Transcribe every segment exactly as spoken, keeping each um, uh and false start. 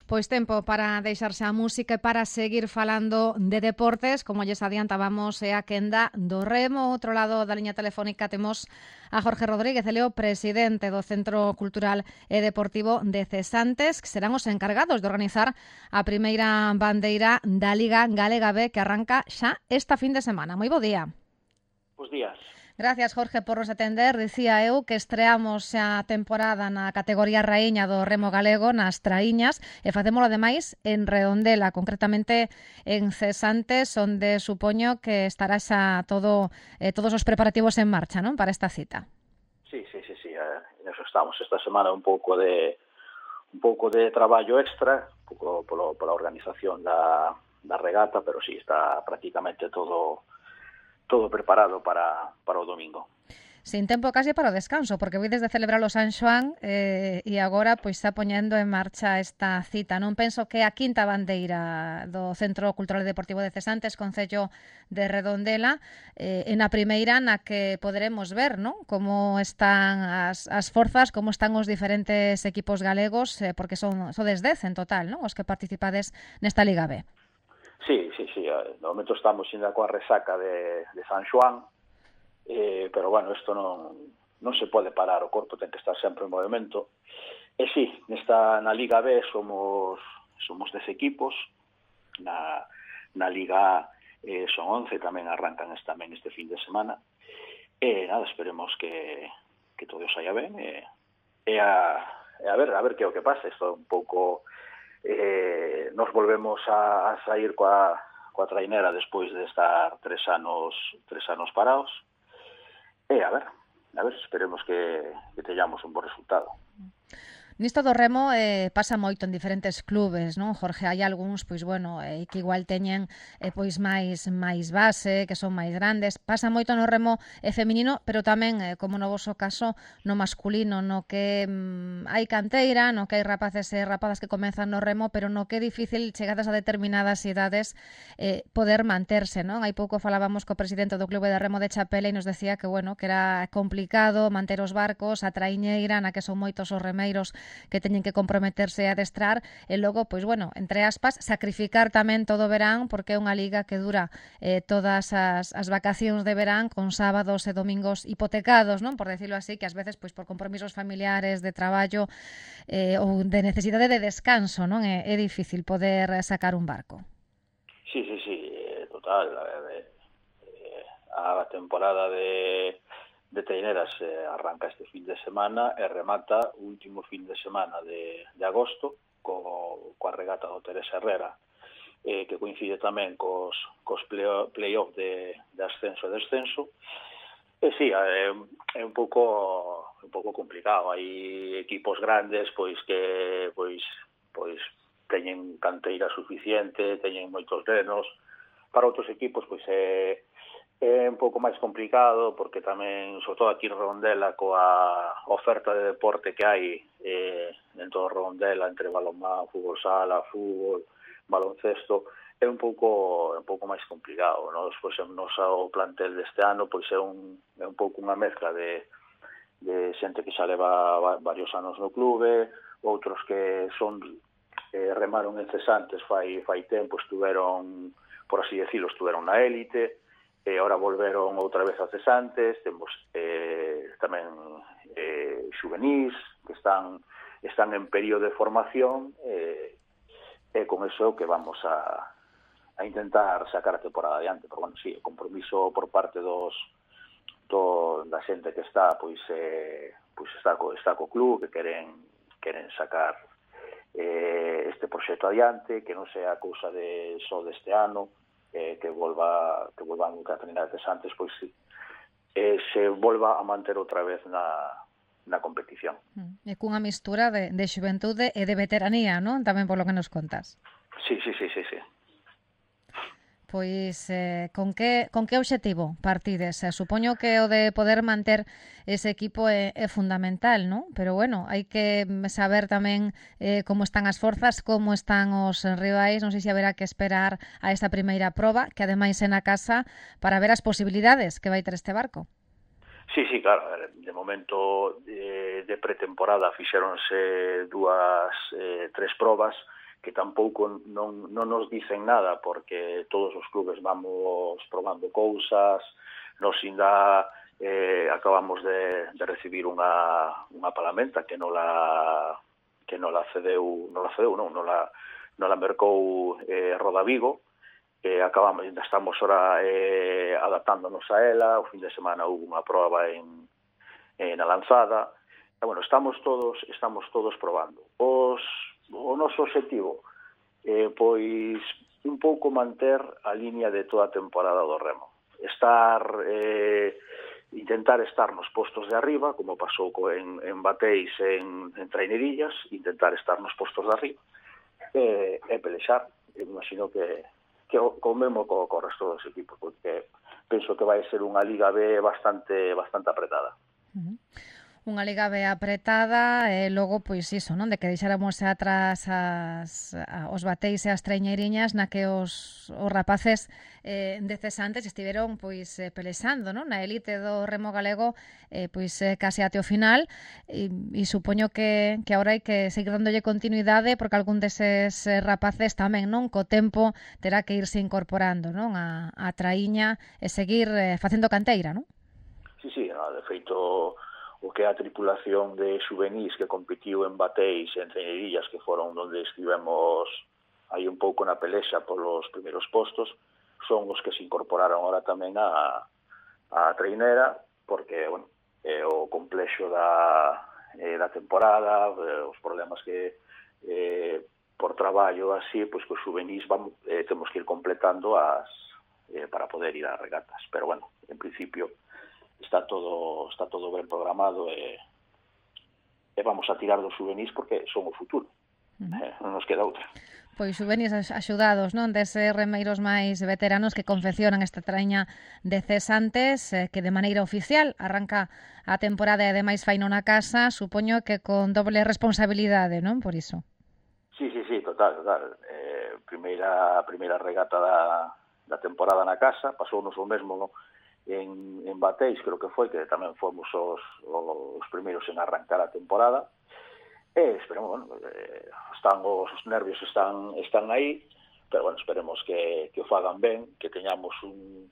Pois tempo para deixarse a música e para seguir falando de deportes, como lles adiantábamos, é a quenda do remo. Outro lado da liña telefónica temos a Jorge Rodríguez, ele é o presidente do Centro Cultural e Deportivo de Cesantes, que serán os encargados de organizar a primeira bandeira da Liga Galega B, que arranca xa esta fin de semana. Moi bo día. Bos días. Gracias, Jorge, por nos atender. Dicía eu que estreamos a temporada na categoría raíña do remo galego, nas traíñas, e facémolo ademais en Redondela, concretamente en Cesantes, onde supoño que estará xa todo, eh, todos os preparativos en marcha, non, para esta cita. Sí, sí, sí, sí, eh, en eso estamos. Esta semana un pouco de un pouco de traballo extra, un pouco polo, pola organización da, da regata, pero sí, está prácticamente todo todo preparado para, para o domingo. Sin tempo case para o descanso, porque voy desde celebrar o San Xoán eh, e agora pois está poñendo en marcha esta cita. Non penso que a quinta bandeira do Centro Cultural e Deportivo de Cesantes, concello de Redondela, eh, en a primeira na que poderemos ver, non, como están as, as forzas, como están os diferentes equipos galegos, eh, porque son sodes dez en total, non, os que participades nesta Liga B. Sí, sí, sí. No momento estamos ainda coa resaca de, de San Xoán, eh, pero, bueno, isto non, non se pode parar, o corpo ten que estar sempre en movimento. E sí, nesta, na Liga B somos somos dez equipos, na, na Liga A eh, son once, tamén arrancan este, tamén este fin de semana, e nada, esperemos que, que todo saia ben, e, e, a, e a ver, a ver que é o que pasa. Isto é un pouco... Eh, nos volvemos a, a sair coa, coa trainera despois de estar tres anos tres anos parados e a ver, a ver, esperemos que, que teñamos un bo resultado. Nisto do remo eh, pasa moito en diferentes clubes, non, Jorge? Hai algúns, pois, bueno, eh, que igual teñen eh, pois máis máis base, que son máis grandes. Pasa moito no remo eh, feminino, pero tamén, eh, como no voso caso, no masculino, no que mm, hai canteira, no que hai rapaces e rapazas que comezan no remo, pero no que é difícil, chegadas a determinadas idades, eh, poder manterse, non? Hai pouco falábamos co presidente do Clube de Remo de Chapela e nos decía que, bueno, que era complicado manter os barcos, a traiñeira, na que son moitos os remeiros que teñen que comprometerse a adestrar e logo, pois bueno, entre aspas, sacrificar tamén todo o verán, porque é unha liga que dura eh, todas as, as vacacións de verán con sábados e domingos hipotecados, non, por decirlo así, que ás veces pois por compromisos familiares, de traballo eh, ou de necesidade de descanso, non, é, é difícil poder sacar un barco. Sí, sí, sí, total. A temporada de de Teineras eh, arranca este fin de semana e remata o último fin de semana de, de agosto co, coa regata do Teresa Herrera, eh, que coincide tamén cos, cos play-off de, de ascenso e descenso. E sí, é, é un pouco un pouco complicado. Hai equipos grandes pois que pois pois teñen canteira suficiente, teñen moitos nenos. Para outros equipos pois é é un pouco máis complicado, porque tamén, sobre todo aquí en Redondela, coa oferta de deporte que hai eh, en todo Redondela, entre balonmán, fútbol sala, fútbol, baloncesto, é un pouco un pouco máis complicado, non? Pois o noso plantel deste ano pois é un é un pouco unha mezcla de de xente que xa leva varios anos no clube, outros que son eh, remaron en Cesantes fai fai tempo, estuveron, por así decirlo, estuveron na élite, e agora volveron outra vez a Cesantes. Temos eh, tamén eh, xuvenís que están están en período de formación, e eh, con eso que vamos a, a intentar sacar a temporada adiante. Pero, bueno, sí, o compromiso por parte dos do, da xente que está pois eh, pois está co, está co club, que queren queren sacar eh, este proxecto adiante, que non sea cousa de só deste ano, Eh, que volva que volvan a treinar antes, pois sí, eh, se volva a manter outra vez na, na competición. E cunha mistura de, de xuventude e de veteranía, non? Tamén por lo que nos contas. Sí, sí, sí, sí, sí. Pois, eh, con que con que obxectivo partides? Eh, supoño que o de poder manter ese equipo é, é fundamental, non? Pero, bueno, hai que saber tamén eh, como están as forzas, como están os rivais. Non sei se haberá que esperar a esta primeira proba, que ademais é na casa, para ver as posibilidades que vai ter este barco. Sí, sí, claro. De momento de, de pretemporada fixéronse dúas, eh, tres probas que tampouco non, non nos dicen nada, porque todos os clubes vamos probando cousas, nos ainda eh, acabamos de, de recibir unha, unha palamenta que non la que non la cedeu, non la cedeu, non, non la, non la mercou eh, Roda Vigo, eh, acabamos, ainda estamos ora eh, adaptándonos a ela, o fin de semana houve unha proba en, en a lanzada, e, bueno, estamos todos, estamos todos probando. Os, o noso objetivo eh, pois un pouco manter a línea de toda a temporada do remo. Estar, eh, intentar estar nos postos de arriba, como pasou co en, en Bateis, en, en Trainerillas, intentar estar nos postos de arriba, e, e pelexar. Eu imagino que, que o, co mesmo co, co resto dos equipos, porque penso que vai ser unha Liga B bastante bastante apretada. Uh-huh. Unha Liga B apretada e logo, pois iso, non? De que deixáramos atrás as, a, os Bateis e as Traiñeiriñas na que os, os rapaces eh, decesantes estiveron pois eh, pelexando, non? Na elite do remo galego eh, pois eh, case até o final e, e supoño que, que agora hai que seguir dándolle continuidade porque algún deses eh, rapaces tamén, non? Co tempo terá que irse incorporando, non? A, a traíña e seguir eh, facendo canteira, non? Sí, sí, no, de feito o que é a tripulación de xuvenís que competiu en Bateis e en Traiñerillas, que foron onde estivemos aí un pouco na pelexa polos primeiros postos, son os que se incorporaron ahora tamén a, a trainera, porque, bueno, é o complexo da, eh, da temporada, eh, os problemas que eh, por traballo así, pois que os xuvenís vamos, eh, temos que ir completando as eh, para poder ir ás regatas, pero bueno, en principio está todo está todo ben programado e, e vamos a tirar dos xuvenís porque son o futuro. Uh-huh. Eh, non nos queda outra. Pois xuvenís axudados, non, deses remeiros máis veteranos que confeccionan esta traña de cesantes eh, que de maneira oficial arranca a temporada e ademais faino na casa, supoño que con doble responsabilidade, non, por iso. Sí, sí, sí, total, total. Eh, primeira primeira regata da, da temporada na casa, pasounos o mesmo, non? En, en Bateis, creo que foi, que tamén fomos os, os primeiros en arrancar a temporada, e esperemos, bueno, eh, están os, os nervios están están aí, pero bueno, esperemos que, que o fagan ben, que teñamos un,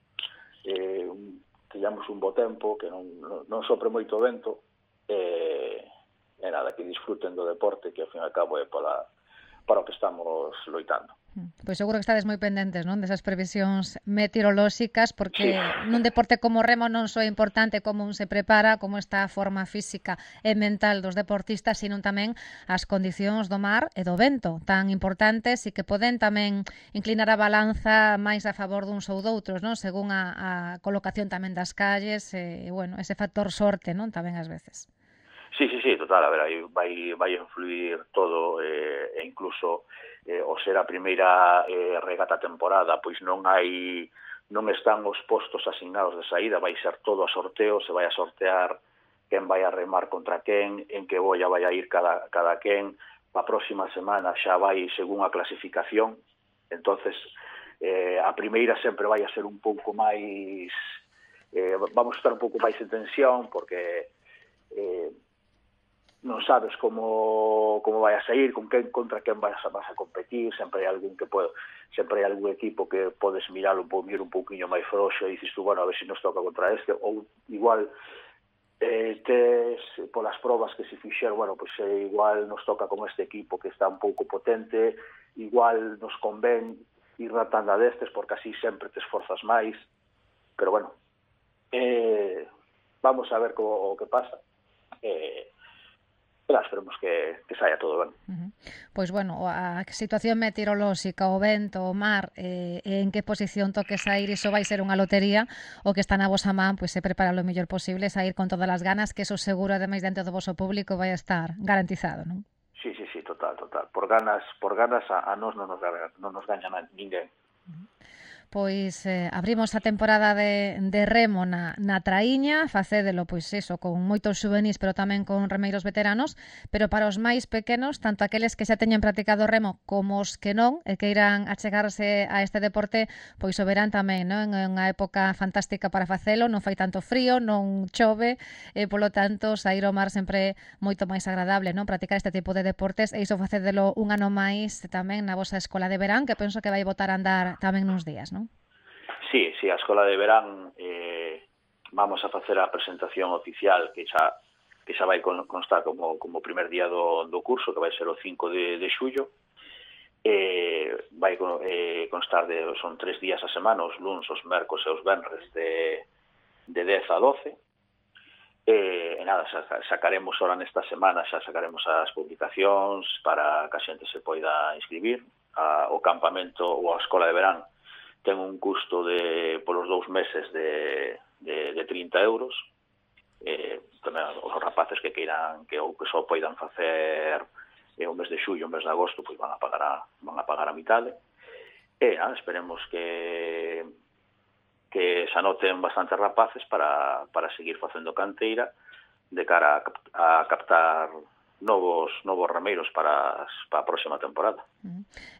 eh, un teñamos un bo tempo, que non, non, non sopre moito vento, e, e nada, que disfruten do deporte, que ao fin e ao cabo é para, para o que estamos loitando. Pois seguro que estades moi pendentes, non, desas previsións meteorolóxicas, porque sí. Nun deporte como o remo non só é importante como un se prepara, como está a forma física e mental dos deportistas, sino tamén as condicións do mar e do vento, tan importantes e que poden tamén inclinar a balanza máis a favor duns ou doutros, non, según a, a colocación tamén das calles e, bueno, ese factor sorte, non, tamén ás veces. Sí, sí, sí, total, a ver, aí vai, vai influir todo, eh, e incluso eh, o ser a primeira eh, regata temporada, pois non hai, non están os postos asignados de saída, vai ser todo a sorteo, se vai a sortear quen vai a remar contra quen, en que boia vai a ir cada, cada quen, a próxima semana xa vai según a clasificación, entonces eh, a primeira sempre vai a ser un pouco máis, eh, vamos a estar un pouco máis en tensión, porque eh, non sabes como como vai a sair, con quen contra quen vas a, vas a competir, sempre hai algún que pode, sempre hai algún equipo que podes mirar un pouco, un pouquiño máis frouxo e dices tú, bueno, a ver se nos toca contra este, ou igual eh, tes polas probas que se fixeron, bueno, pois pues, eh, igual nos toca con este equipo que está un pouco potente, igual nos convén ir na tanda destes porque así sempre te esforzas máis, pero bueno, eh, vamos a ver co, o que pasa. Eh, Pero esperemos que, que saia todo ben. Uh-huh. Pois, bueno, a situación meteorolóxica, o vento, o mar, eh, en que posición toque sair, iso vai ser unha lotería. O que está na vosa man, pois, se prepara o mellor posible, sair con todas as ganas, que eso seguro, ademais, dentro do voso público, vai a estar garantizado, non? Sí, sí, sí, total, total. Por ganas, por ganas a, a nos non nos, non nos gaña ninguén. Uh-huh. pois eh, abrimos a temporada de, de remo na, na Traíña, facédelo, pois eso, con moitos xuvenís, pero tamén con remeiros veteranos, pero para os máis pequenos, tanto aqueles que xa teñen practicado remo como os que non, e que irán achegarse a este deporte, pois o verán tamén, non? É unha época fantástica para facelo, non fai tanto frío, non chove, e polo tanto, sair ao mar sempre é moito máis agradable, non? Practicar este tipo de deportes, e iso facédelo un ano máis tamén na vosa escola de verán, que penso que vai botar a andar tamén nuns días, non? Sí, sí, a escola de verán eh, vamos a facer a presentación oficial que xa que xa vai constar como como primer día do, do curso, que vai ser o cinco de, de xullo. Eh, vai eh, constar de, son tres días a semana, os luns, os mercos e os venres de, de dez a doce. E, e nada, xa, sacaremos ahora nesta semana, xa sacaremos as publicacións para que a xente se poida inscribir. A, o campamento ou a escola de verán ten un custo de polos dous meses de, de, de trinta euros. Eh, tamén os rapaces que queiran que ou que só poidan facer eh, o mes de xullo, o mes de agosto, pois van a pagar a, van a pagar a mitade. E ah, esperemos que que se anoten bastantes rapaces para, para seguir facendo canteira de cara a, a captar novos novos remeiros para, para a próxima temporada.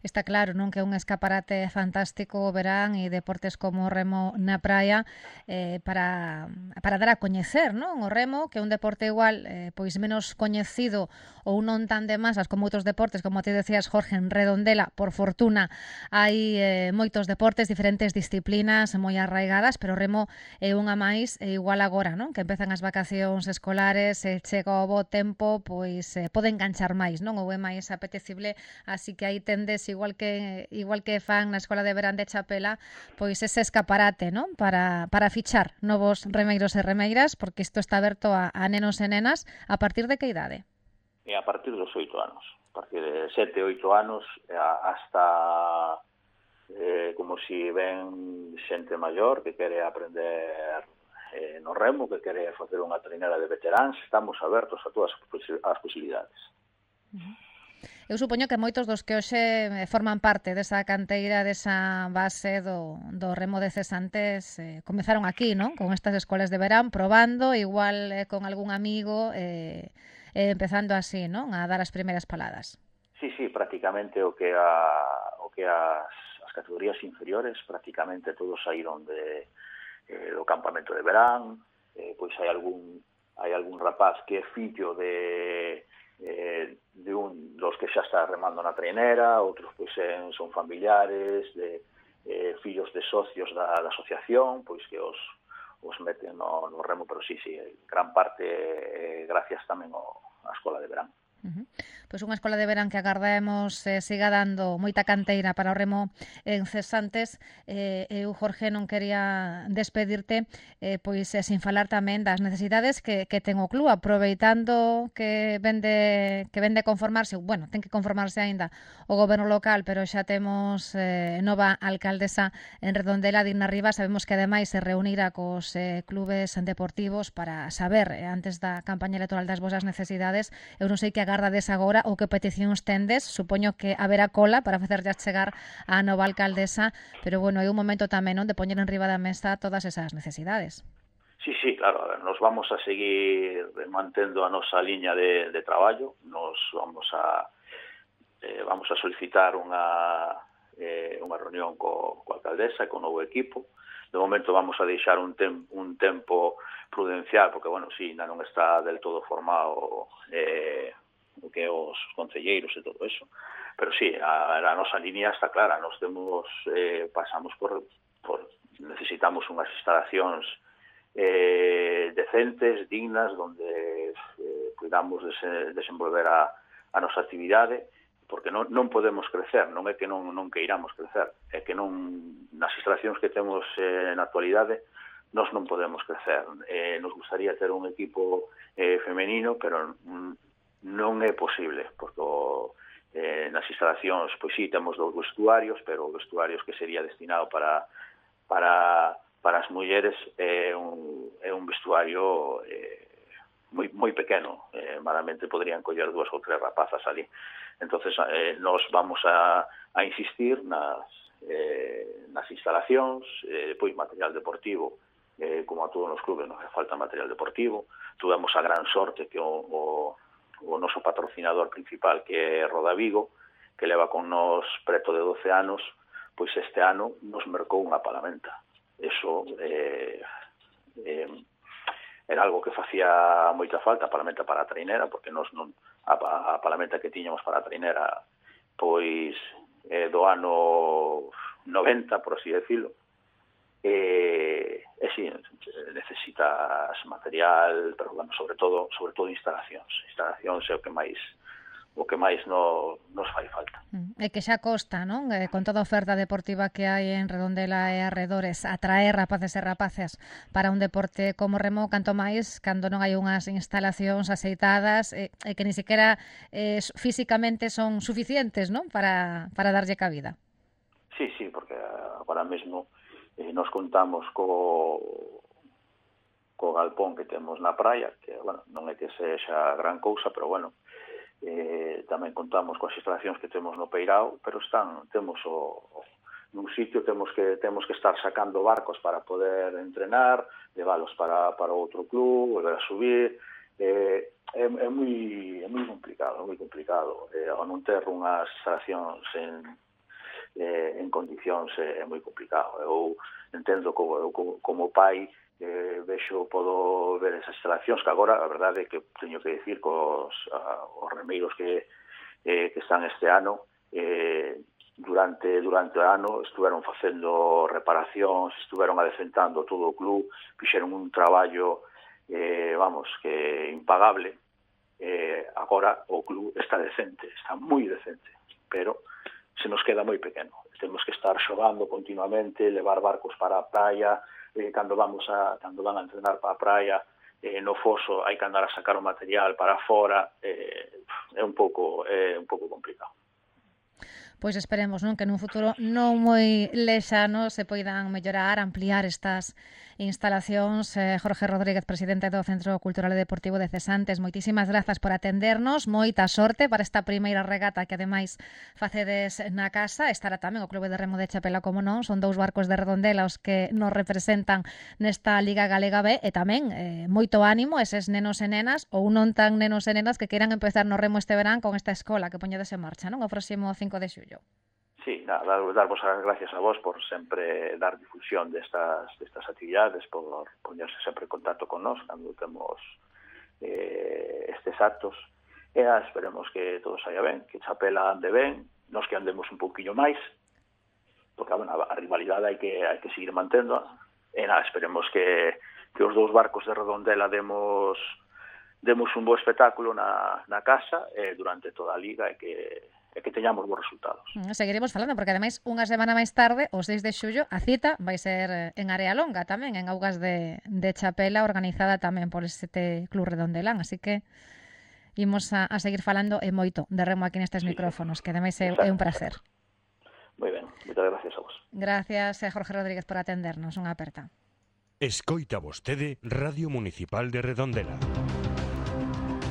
Está claro, non, que é un escaparate fantástico o verán e deportes como o remo na praia eh, para, para dar a coñecer, non? O remo, que é un deporte igual eh, pois menos coñecido ou non tan de masas como outros deportes, como te decías, Jorge, en Redondela, por fortuna, hai eh, moitos deportes, diferentes disciplinas moi arraigadas, pero o remo é unha máis e igual agora, non? Que empezan as vacacións escolares, e chega o bo tempo, pois eh, pode enganchar máis, non? Ou é máis apetecible, así que aí tendes, igual que igual que fan na Escola de Verán de Chapela, pois ese escaparate, non? Para, para fichar novos remeiros e remeiras, porque isto está aberto a, a nenos e nenas. A partir de que idade? E a partir dos oito anos. A partir de sete, oito anos, hasta eh, como si ven xente maior que quere aprender eh, no remo, que quere facer unha treinera de veteráns. Estamos abertos a todas as posibilidades. Uh-huh. Eu supoño que moitos dos que hoxe forman parte desa canteira, desa base do, do remo de cesantes, eh, comezaron aquí, non? Con estas escolas de verán, probando, igual eh, con algún amigo, eh, eh, empezando así, non? A dar as primeiras paladas. Sí, sí, prácticamente o que a, o que as, as categorías inferiores, prácticamente todos saíron de, eh, do campamento de verán, eh, pois hai algún, hai algún rapaz que é fillo de... Eh, de un dos que xa está remando na treinera, outros pois eh, son familiares de eh, fillos de socios da, da asociación, pois que os, os meten no, no remo, pero sí, sí, gran parte eh, gracias tamén ao, á escola de verán. Uh-huh. Pois unha escola de verán que agardemos eh, siga dando moita canteira para o remo en cesantes. Eh, eu, Jorge, non quería despedirte eh, pois eh, sin falar tamén das necesidades que, que ten o club, aproveitando que vende que vende conformarse, bueno, ten que conformarse aínda o goberno local, pero xa temos eh, nova alcaldesa en Redondela, Digna Rivas. Sabemos que ademais se reunirá cos eh, clubes deportivos para saber, eh, antes da campaña electoral, das vosas necesidades. Eu non sei que agardades agora ou que peticións tendes. Supoño que haberá cola para facerlle chegar á nova alcaldesa, pero bueno, é un momento tamén, non, de poñer en riba da mesa todas esas necesidades. Sí, sí, claro, a ver, nos vamos a seguir mantendo a nosa liña de, de traballo, nos vamos a eh, vamos a solicitar unha eh, unha reunión co, co alcaldesa e co novo equipo. De momento vamos a deixar un, tem, un tempo prudencial, porque, bueno, sí, non está del todo formado eh, o que os concelleiros e todo eso, pero sí, a, a nosa línea está clara. Nos temos, eh, pasamos por, por necesitamos unhas instalacións eh, decentes, dignas, donde eh, cuidamos de se, desenvolver a, a nosa actividade, porque non, non podemos crecer, non é que non, non queiramos crecer, é que non, nas instalacións que temos eh, na actualidade, nós non podemos crecer. Eh, nos gustaría ter un equipo eh, femenino, pero non é posible, porque eh, nas instalacións, pois sí, temos dous vestuarios, pero vestuarios que sería destinado para para para as mulleres é un, é un vestuario eh, moi, moi pequeno, eh, malamente podrían coller dúas ou tres rapazas ali. Entonces, eh, nos vamos a, a insistir nas, eh, nas instalacións, eh, pois material deportivo, eh, como a todos os clubes non falta material deportivo. Tuvemos a gran sorte que o, o, o noso patrocinador principal, que é Roda Vigo, que leva con nos preto de doce anos, pois este ano nos mercou unha palamenta. Eso eh, eh, era algo que facía moita falta, a palamenta para a trainera, porque nos non, a, a palamenta que tiñamos para a trainera pois eh, do ano noventa, por así decirlo, e, e si, necesitas material, pero bueno, sobre todo, sobre todo instalacións. Instalacións é o que máis o que máis no, nos fai falta. É que xa costa, non? Eh, con toda a oferta deportiva que hai en Redondela e arredores, atraer rapaces e rapaces para un deporte como remo, canto máis cando non hai unhas instalacións aceitadas e, e que ni siquiera eh, físicamente son suficientes, non? Para, para darlle cabida. Sí, sí, porque agora mesmo eh, nos contamos co co galpón que temos na praia, que, bueno, non é que sexa gran cousa, pero, bueno, Eh, tamén contamos coas instalacións que temos no Peirao, pero están, temos o, nun sitio temos que temos que estar sacando barcos para poder entrenar, leválos para, para outro club, volver a subir, eh, é, é moi é moi complicado, é moi complicado, eh, ao non ter unhas instalacións en, eh, en condicións é, é moi complicado. Eu entendo como, eu, como, como pai, Eh, vexo, podo ver esas instalacións que agora, a verdade é que teño que dicir cos a, os remeiros que, eh, que están este ano, eh, durante durante o ano estuveron facendo reparacións, estuveron adecentando todo o club, fixeron un traballo, eh, vamos, que impagable. Eh, agora o club está decente, está moi decente, pero se nos queda moi pequeno. Temos que estar xogando continuamente, levar barcos para a praia. Eh, cando vamos a cando van a entrenar para a praia, eh, no foso hai que andar a sacar o material para fora, eh, é un pouco é un pouco complicado. Pois esperemos, non, que nun futuro non moi lexano se poidan mellorar, ampliar estas instalacións. Eh, Jorge Rodríguez, presidente do Centro Cultural e Deportivo de Cesantes, moitísimas grazas por atendernos, moita sorte para esta primeira regata que ademais facedes na casa. Estará tamén o Clube de Remo de Chapela, como non, son dous barcos de Redondela os que nos representan nesta Liga Galega B, e tamén eh, moito ánimo eses nenos e nenas, ou non tan nenos e nenas, que queiran empezar no remo este verán con esta escola que poñedes en marcha, non, o próximo cinco de xullo. Sí, nada, darvos as gracias a vos por sempre dar difusión destas, destas actividades, por poñerse sempre en contacto con nós cando temos eh, estes actos. E ah, esperemos que todo saia ben, que Chapela ande ben, nos que andemos un pouquinho máis, porque bueno, a rivalidade hai que, hai que seguir mantendo. E nada, esperemos que, que os dous barcos de Redondela demos, demos un bo espectáculo na, na casa eh, durante toda a liga e que e que teñamos bons resultados. Seguiremos falando, porque ademais unha semana máis tarde, o seis de xullo, a cita vai ser en Área Longa tamén, en Augas de, de Chapela, organizada tamén por este Club Redondelán, así que imos a, a seguir falando e moito de remo aquí nestes sí, micrófonos, que ademais é, é un placer. Moi ben, moitas gracias a vos. Gracias, Jorge Rodríguez, por atendernos, unha aperta. Escoita vostede Radio Municipal de Redondela.